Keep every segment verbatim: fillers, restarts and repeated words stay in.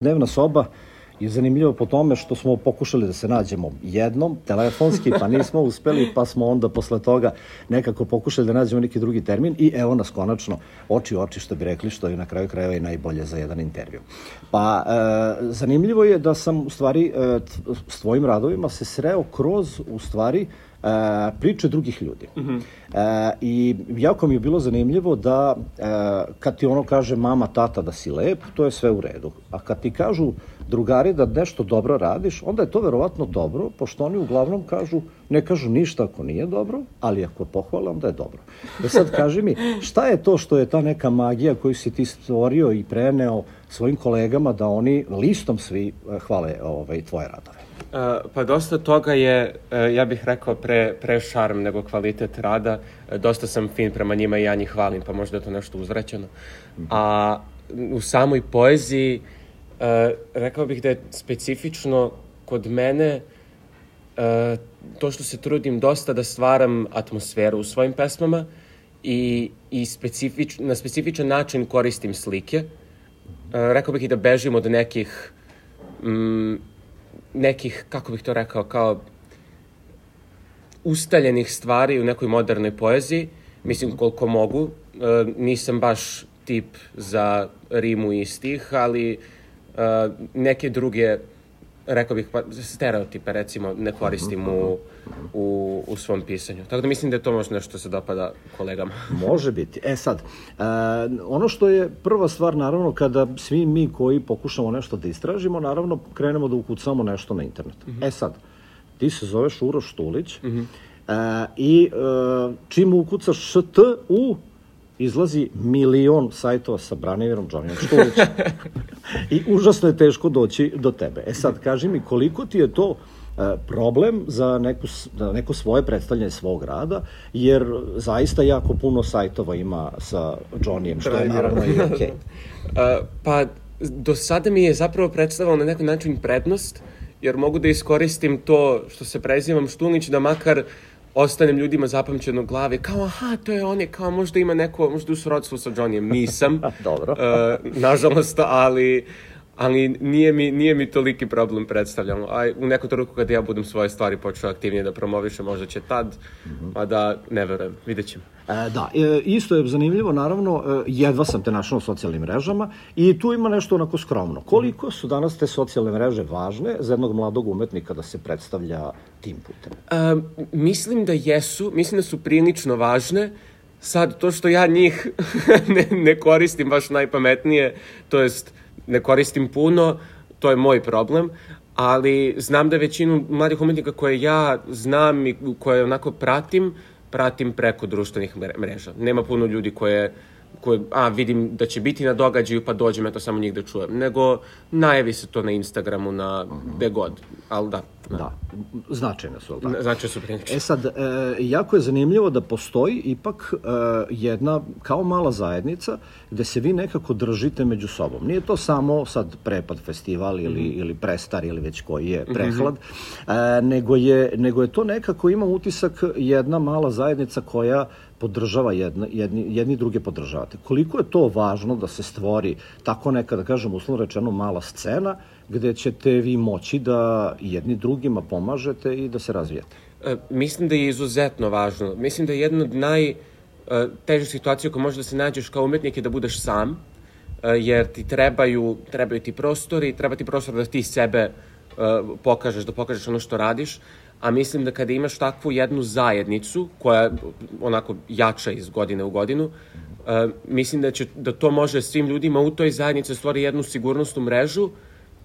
Dnevna soba je zanimljiva po tome što smo pokušali da se nađemo jednom, telefonski, pa nismo uspeli, pa smo onda posle toga nekako pokušali da nađemo neki drugi termin i evo nas konačno oči u oči, što bi rekli, što je na kraju krajeva i najbolje za jedan intervju. Pa e, zanimljivo je da sam u stvari e, s tvojim radovima se sreo kroz u stvari Uh, priče drugih ljudi. Mm-hmm. uh, I jako mi je bilo zanimljivo da uh, kad ti ono kaže mama, tata da si lep, to je sve u redu. A kad ti kažu drugari da nešto dobro radiš, onda je to verovatno dobro, pošto oni uglavnom kažu, ne kažu ništa ako nije dobro, ali ako pohvale, onda je dobro. E sad kaži mi, šta je to što je ta neka magija koju si ti stvorio i preneo svojim kolegama da oni listom svi hvale ovaj, tvoje radove? Uh, pa dosta toga je, uh, ja bih rekao, pre, pre šarm nego kvalitet rada. Uh, dosta sam fin prema njima i ja njih hvalim, pa možda je to nešto uzvraćeno. Mm-hmm. A u samoj poeziji, uh, rekao bih da je specifično kod mene uh, to što se trudim dosta da stvaram atmosferu u svojim pesmama i, i specifič, na specifičan način koristim slike. Uh, rekao bih i da bežim od nekih... Um, nekih, kako bih to rekao, kao ustaljenih stvari u nekoj modernoj poeziji. Mislim, koliko mogu. E, nisam baš tip za rimu i stih, ali e, neke druge, rekao bih, pa, stereotipe, recimo, ne koristim u, u, u svom pisanju. Tako da mislim da je to možda nešto se dopada kolegama. Može biti. E sad, e, ono što je prva stvar, naravno, kada svi mi koji pokušamo nešto da istražimo, naravno, krenemo da ukucamo nešto na internetu. Mm-hmm. E sad, ti se zoveš Uroš Štulić, mm-hmm. e, i e, čim ukucaš št u izlazi milion sajtova sa Braniverom Džonijom Štulićem. I užasno je teško doći do tebe. E sad, kaži mi, koliko ti je to e, problem za neku, za neko svoje predstavljanje svog rada, jer zaista jako puno sajtova ima sa Džonijem, što je naravno i okej. Okay. Pa, do sada mi je zapravo predstavljalo na neki način prednost, jer mogu da iskoristim to što se prezivam Štulić, da makar ostanem ljudima zapamćeno u glavi, kao aha, to je on je, kao možda ima neko, možda u srodstvu sa Džonijem. Nisam. Dobro. uh, nažalost, ali, ali nije, mi, nije mi toliki problem predstavljamo. A u neku trenutku kada ja budem svoje stvari počeo aktivnije da promovišem, možda će tad, mm-hmm. a da ne verujem. Vidjet ćemo. E, da, e, isto je zanimljivo, naravno, e, jedva sam te našao na socijalnim mrežama i tu ima nešto onako skromno. Koliko su danas te socijalne mreže važne za jednog mladog umetnika da se predstavlja tim putem? E, mislim da jesu, mislim da su prilično važne. Sad, to što ja njih ne, ne koristim baš najpametnije, to jest ne koristim puno, to je moj problem, ali znam da većinu mladih umetnika koje ja znam i koje onako pratim, pratim preko društvenih mreža. Nema puno ljudi koje, koje a, vidim da će biti na događaju, pa dođem, eto samo njih da čujem. Nego najavi se to na Instagramu, na gde god. Ali da. Da, da. Značajne su, ali tako? Značajne su prilično. E sad, e, jako je zanimljivo da postoji ipak e, jedna kao mala zajednica gde se vi nekako držite među sobom. Nije to samo sad Prepad festival ili, mm-hmm. ili Prestar ili već koji je Prehlad, mm-hmm. e, nego, je, nego je to nekako, ima utisak, jedna mala zajednica koja podržava jedna, jedni, jedni druge podržavate. Koliko je to važno da se stvori tako neka, da kažem, uslovno rečeno, mala scena gde ćete vi moći da jedni drugima pomažete i da se razvijete? E, mislim da je izuzetno važno. Mislim da je jedna od najtežih situacija koja može da se nađeš kao umetnik je da budeš sam, e, jer ti trebaju, trebaju ti prostori, treba ti prostor da ti sebe e, pokažeš, da pokažeš ono što radiš, a mislim da kada imaš takvu jednu zajednicu koja onako jača iz godine u godinu, uh, mislim da, će, da to može svim ljudima u toj zajednici stvori jednu sigurnosnu mrežu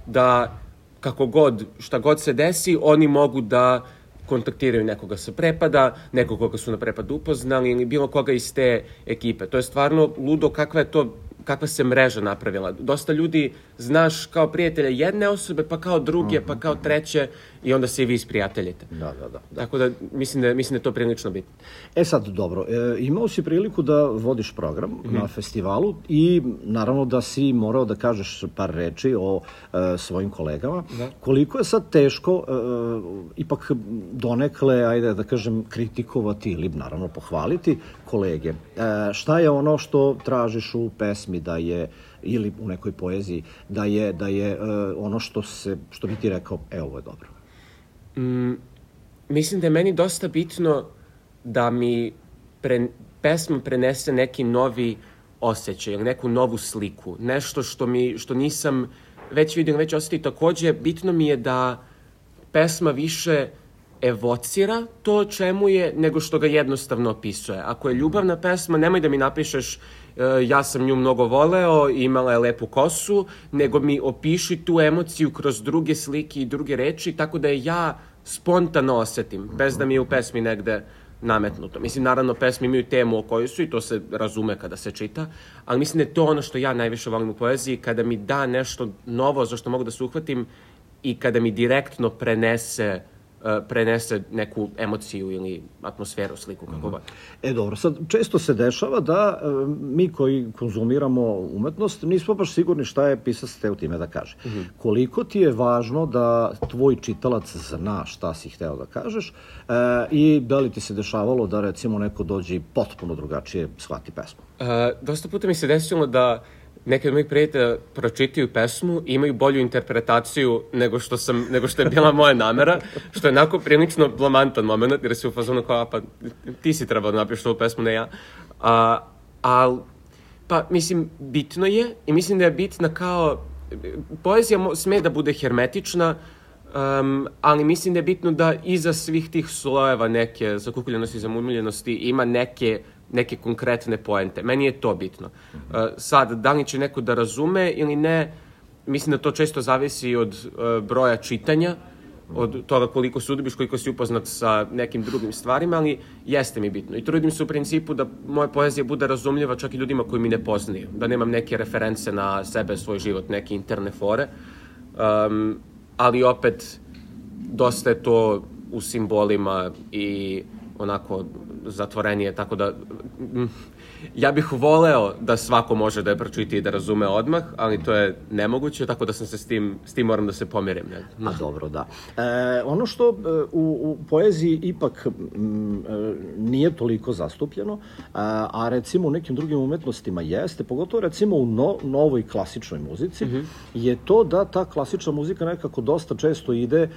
da kako god, šta god se desi, oni mogu da kontaktiraju nekoga sa Prepada, nekog koga su na Prepadu upoznali ili bilo koga iz te ekipe. To je stvarno ludo kakva je to, kakva se mreža napravila. Dosta ljudi znaš kao prijatelja jedne osobe, pa kao druge, pa kao treće i onda se i vi isprijateljite. Da, da, da. Tako da mislim da, mislim da je to prilično bitno. E sad, dobro, e, imao si priliku da vodiš program mm-hmm. na festivalu i naravno da si morao da kažeš par reči o e, svojim kolegama. Da. Koliko je sad teško e, ipak donekle, ajde da kažem, kritikovati ili naravno pohvaliti kolege? E, šta je ono što tražiš u pesmi da je ili u nekoj poeziji, da je, da je uh, ono što, se, što bi ti rekao, e, ovo je dobro? Mm, mislim da je meni dosta bitno da mi pre, pesma prenese neki novi osjećaj, neku novu sliku, nešto što, mi, što nisam već vidio, već osjetio. Takođe, bitno mi je da pesma više evocira to o čemu je, nego što ga jednostavno opisuje. Ako je ljubavna pesma, nemoj da mi napišeš uh, ja sam nju mnogo voleo, imala je lepu kosu, nego mi opiši tu emociju kroz druge slike i druge reči, tako da je ja spontano osetim, bez da mi je u pesmi negde nametnuto. Mislim, naravno, pesme imaju temu o kojoj su i to se razume kada se čita, ali mislim da je to ono što ja najviše volim u poeziji, kada mi da nešto novo za što mogu da se uhvatim i kada mi direktno prenese prenese neku emociju ili atmosferu, sliku, kako god. E, dobro, sad često se dešava da e, mi koji konzumiramo umetnost nismo baš sigurni šta je pisac hteo time da kaže. Mm -hmm. Koliko ti je važno da tvoj čitalac zna šta si hteo da kažeš e, i da li ti se dešavalo da recimo neko dođe i potpuno drugačije shvati pesmu? E, dosta puta mi se desilo da neki od mojih prijatelja pročitaju pesmu i imaju bolju interpretaciju nego što, sam, nego što je bila moja namera, što je onako prilično blamantan moment, jer se u fazonu kao, pa ti si trebao da napišeš ovu pesmu, ne ja. A, al, pa, mislim, bitno je i mislim da je bitna kao, poezija sme da bude hermetična, um, ali mislim da je bitno da iza svih tih slojeva neke zakukuljenosti i zamumljenosti ima neke neke konkretne poente. Meni je to bitno. Uh, sad, da li će neko da razume ili ne, mislim da to često zavisi od uh, broja čitanja, od toga koliko se udobiš, koliko si upoznat sa nekim drugim stvarima, ali jeste mi bitno. I trudim se u principu da moja poezija bude razumljiva čak i ljudima koji mi ne poznaju, da nemam neke reference na sebe, svoj život, neke interne fore, um, ali opet dosta je to u simbolima i onako zatvorenije, tako da mm, ja bih voleo da svako može da je pročiti i da razume odmah, ali to je nemoguće, tako da sam se s tim, s tim moram da se pomirim. Ne? A dobro, da. E, ono što e, u, u poeziji ipak m, e, nije toliko zastupljeno, a, a recimo u nekim drugim umetnostima jeste, pogotovo recimo u no, novoj klasičnoj muzici, mm-hmm. je to da ta klasična muzika nekako dosta često ide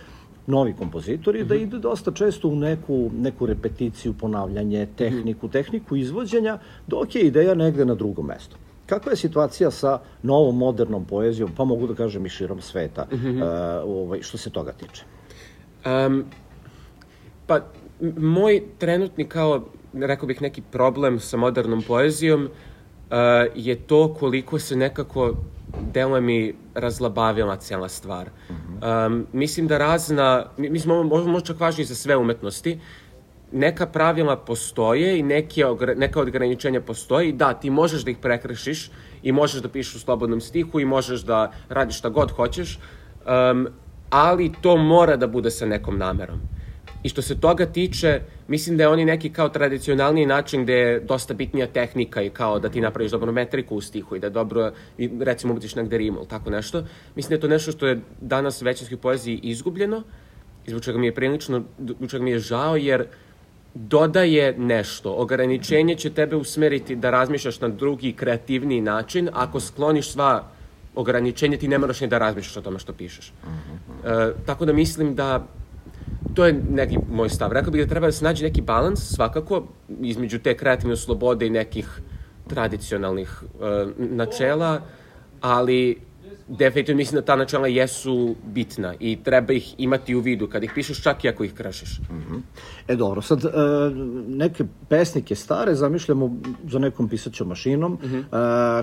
novi kompozitori, mm-hmm. da ide dosta često u neku, neku repeticiju, ponavljanje, tehniku, tehniku izvođenja, dok je ideja negde na drugom mestu. Kakva je situacija sa novom, modernom poezijom, pa mogu da kažem i širom sveta, mm-hmm. uh, ovaj, što se toga tiče? Um, pa, moj trenutni, kao, rekao bih, neki problem sa modernom poezijom uh, je to koliko se nekako deluje mi razlabavila cijela stvar. Um, mislim da razna, mislim ovo možda čak važno i za sve umetnosti, neka pravila postoje i neke, neka ograničenja postoje i da, ti možeš da ih prekršiš i možeš da pišeš u slobodnom stihu i možeš da radiš šta god hoćeš, um, ali to mora da bude sa nekom namerom. I što se toga tiče, mislim da je oni neki kao tradicionalniji način gde je dosta bitnija tehnika i kao da ti napraviš dobru metriku u stihu i da dobro, recimo, ubaciš negde rimu ili tako nešto. Mislim da je to nešto što je danas u većinskoj poeziji izgubljeno i zbog čega mi je prilično, zbog čega mi je žao, jer dodaje nešto. Ograničenje će tebe usmeriti da razmišljaš na drugi, kreativniji način. Ako skloniš sva ograničenja, ti ne moraš ni da razmišljaš o tome što pišeš. E, tako da mislim da to je neki moj stav. Rekao bih da treba da se nađe neki balans, svakako, između te kreativne slobode i nekih tradicionalnih uh, načela, ali definitivno mislim da ta načela jesu bitna i treba ih imati u vidu kad ih pišeš, čak i ako ih kršiš. Mm-hmm. E dobro, sad e, neke pesnike stare zamišljamo za nekom pisaćom mašinom, mm-hmm. e,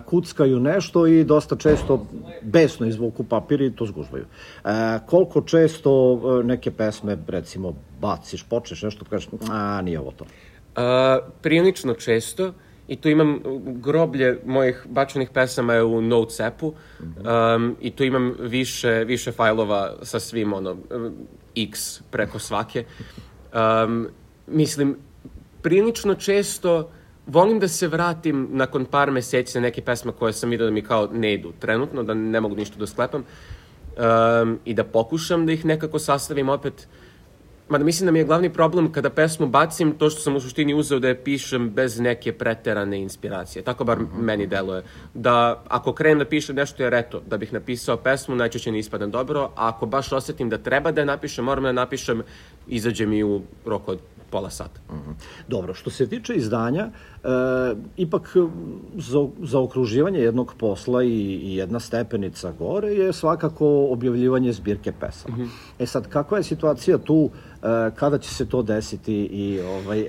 kuckaju nešto i dosta često besno izvuku papir i to zgužvaju. E, koliko često neke pesme, recimo, baciš, počneš nešto, kažeš, a, nije ovo to? A, prilično često. I tu imam groblje mojih bačenih pesama je u Notes appu um, i tu imam više, više fajlova sa svim, ono, x preko svake. Um, mislim, prilično često volim da se vratim nakon par meseci na neke pesme koje sam vidio da mi kao ne idu trenutno, da ne mogu ništa da sklepam um, i da pokušam da ih nekako sastavim opet. Mada mislim da mi je glavni problem kada pesmu bacim to što sam u suštini uzeo da je pišem bez neke preterane inspiracije. Tako bar mm-hmm. meni deluje. Da ako krenem da pišem nešto jer eto, da bih napisao pesmu, najčešće ne ispadam dobro, a ako baš osetim da treba da je napišem, moram da je napišem, izađe mi u roku od pola sata. Mm-hmm. Dobro, što se tiče izdanja, e, ipak za, za okruživanje jednog posla i, i jedna stepenica gore je svakako objavljivanje zbirke pesama. Mm-hmm. E sad, kakva je situacija tu, e, kada će se to desiti i ovaj,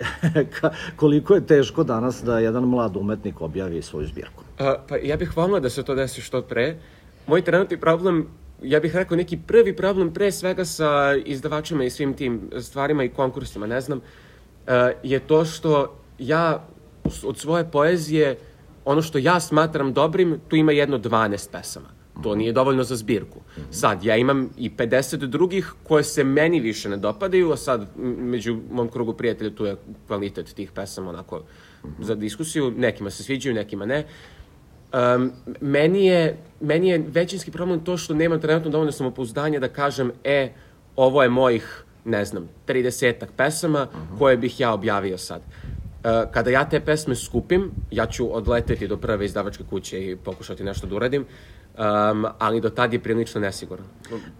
koliko je teško danas da jedan mlad umetnik objavi svoju zbirku? A, pa ja bih volila da se to desi što pre. Moj trenutni problem, ja bih rekao neki prvi problem pre svega sa izdavačima i svim tim stvarima i konkursima, ne znam, je to što ja od svoje poezije, ono što ja smatram dobrim, tu ima jedno dvanaest pesama. To nije dovoljno za zbirku. Sad, ja imam i pedeset drugih koje se meni više ne dopadaju, a sad među mom krugu prijatelja tu je kvalitet tih pesama onako za diskusiju. Nekima se sviđaju, nekima ne. Um, meni, je, meni je većinski problem to što nemam trenutno dovoljno samopouzdanja da kažem, e, ovo je mojih, ne znam, tridesetak pesama koje bih ja objavio sad. Uh, kada ja te pesme skupim, ja ću odleteti do prve izdavačke kuće i pokušati nešto da uradim, um, ali do tad je prilično nesiguran.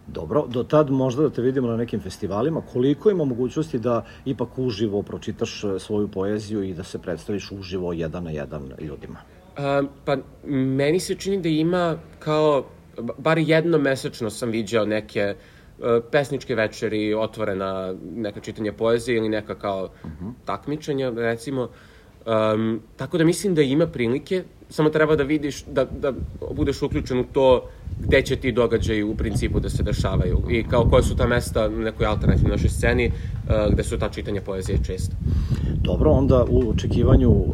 Dobro, do tad možda da te vidimo na nekim festivalima. Koliko ima mogućnosti da ipak uživo pročitaš svoju poeziju i da se predstaviš uživo jedan na jedan ljudima? Uh, pa, meni se čini da ima kao, bar jednom mesečno sam viđao neke uh, pesničke večeri, otvorena neka čitanja poezije ili neka kao uh-huh. takmičenja, recimo. Um, tako da mislim da ima prilike, samo treba da vidiš, da, da budeš uključen u to gde će ti događaji u principu da se dešavaju i kao koje su ta mesta na nekoj alternativnoj našoj sceni uh, gde su ta čitanja poezije često. Dobro, onda u očekivanju uh,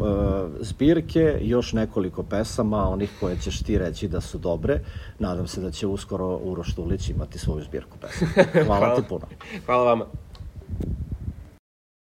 zbirke još nekoliko pesama, onih koje ćeš ti reći da su dobre. Nadam se da će uskoro Uroš Štulić imati svoju zbirku pesama. Hvala, Hvala ti puno. Hvala vama.